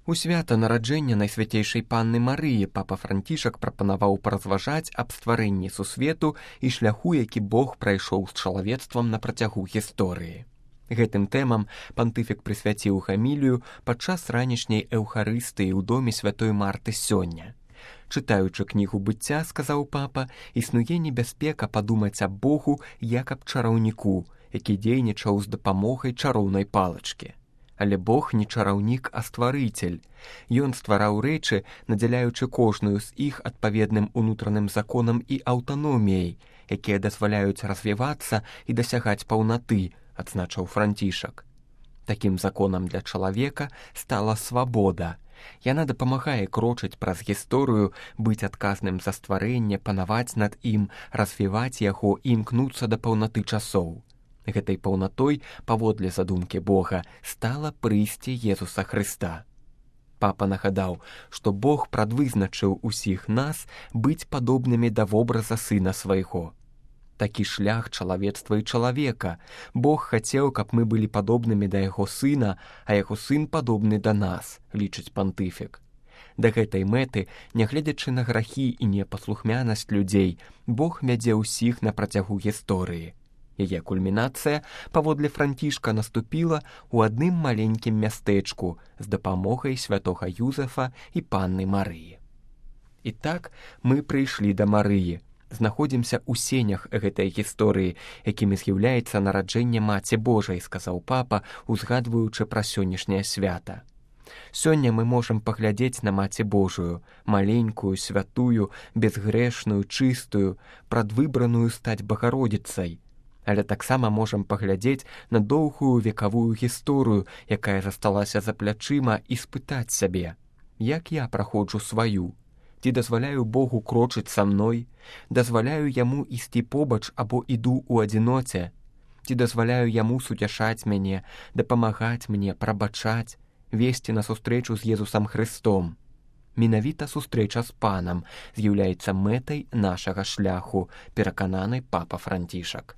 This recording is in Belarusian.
У свята нараджэння Найсвяцейшай Панны Марыі папа Францішак прапанаваў паразважаць аб стварэнні сусвету і шляху, які Бог прайшоў з чалавецтвам на працягу гісторыі. Гэтым тэмам пантыфік прысвяціў гамілію падчас ранішняй эўхарыстыі ў доме святой Марты сёння. Чытаючы кнігу быцця, сказаў папа, існуе небяспека падумаць аб Богу як аб чараўніку, які дзейнічаў з дапамогай чароўнай палачкі. Але Бог не чараўнік, а стварыцель. Ён ствараў рэчы, надзяляючы кожную з іх адпаведным унутраным законам і аўтаноміяй, якія дазваляюць развівацца і дасягаць паўнаты, адзначыў Францішак. Такім законам для чалавека стала свабода. Яна дапамагае крочыць праз гісторыю, быць адказным за стварэнне, панаваць над ім, развіваць яго і імкнуцца да паўнаты часоў. Гэтай паўнатой, паводле задумкі Бога, стала прыйсце Езуса Хрыста. Папа нагадаў, што Бог прадвызначыў усіх нас быць падобнымі да вобраза сына свайго. Такі шлях чалавецтва і чалавека. Бог хацеў, каб мы былі падобнымі да яго сына, а яго сын падобны да нас, лічыць пантыфік. Да гэтай мэты, нягледзячы на грахі і непаслухмянасць людзей, Бог вядзе ўсіх на працягу гісторыі. Яе кульмінацыя, паводле Францішка, наступіла ў адным маленькім мястэчку з дапамогай святога Юзефа і Панны Марыі. І так мы прыйшлі да Марыі, знаходзімся ў сенях гэтай гісторыі, якімі з'яўляецца нараджэнне Маці Божай, сказаў папа, узгадваючы пра сённяшняе свята. Сёння мы можам паглядзець на Маці Божую, маленькую, святую, безгрэшную, чыстую, прадвыбраную стаць Багародзіцай. Але таксама можам паглядзець на доўгую векавую гісторыю, якая засталася за плячыма, і спытаць сябе, як я праходжу сваю? Ці дазваляю Богу крочыць са мной? Дазваляю яму ісці побач або іду ў адзіноце? Ці дазваляю яму суцяшаць мяне, дапамагаць мне, прабачаць, весці на сустрэчу з Езусам Хрыстом? Менавіта сустрэча з Панам з'яўляецца мэтай нашага шляху, перакананы папа Францішак.